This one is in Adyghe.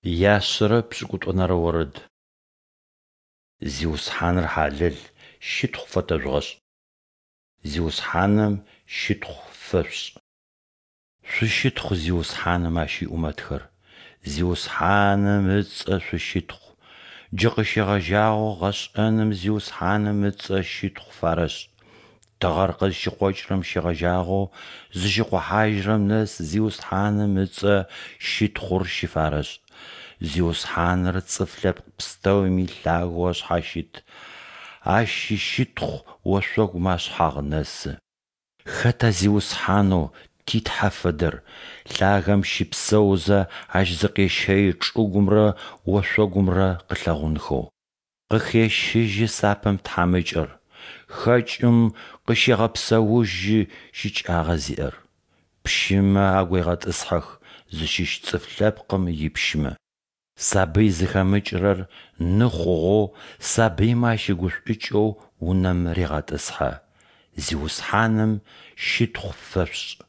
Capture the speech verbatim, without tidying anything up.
Яшъэрэ пшӏыкӏутӏонэрэ орэд. Зиусхьаныр хьалэл, щытхъу фэтэжъугъэшӏ. Зиусхьаным щытхъу фэшъушӏ. Шъущытхъу Зиусхьаным Ащ иӏумэтхэр, Зиусхьаным ыцӏэ шъущытхъу. Джы къыщегъэжьагъэу гъэшӏэным Зиусхьаным ыцӏэ щытхъу фарэшӏ. Тыгъэр къызщыкъокӏырэм щегъэжьагъэу зыщыкъохьажьырэм нэс Зиусхьаным ыцӏэ щытхъур щыфарэшӏ. Зиусхьаныр цӏыф лъэпкъ пстэуми лъагэу ашъхьащыт, Ащ ищытхъу ошъогумэ ашъхьагъ нэсы. Хэта Зиусхьанэу ти Тхьэ фэдэр? Лъагэм щыпсэузэ Ащ зыкъещэи чӏыгумрэ ошъогумрэ къылъэгъунхэу. Къыхещыжьы сапэм тхьамыкӏэр, хэкӏым къыщегъэпсэужьы щыкӏагъэ зиӏэр. Пщымэ агуегъэтӏысхьэх, зыщыщ цӏыф лъэпкъым ипщымэ. Сабый зыхэмыкӏырэр ны хъугъэу, сабыймэ ащыгушӏукӏэу унэм регъэтӏысхьэ. Зиусхьаным щытхъу фэшъушӏ!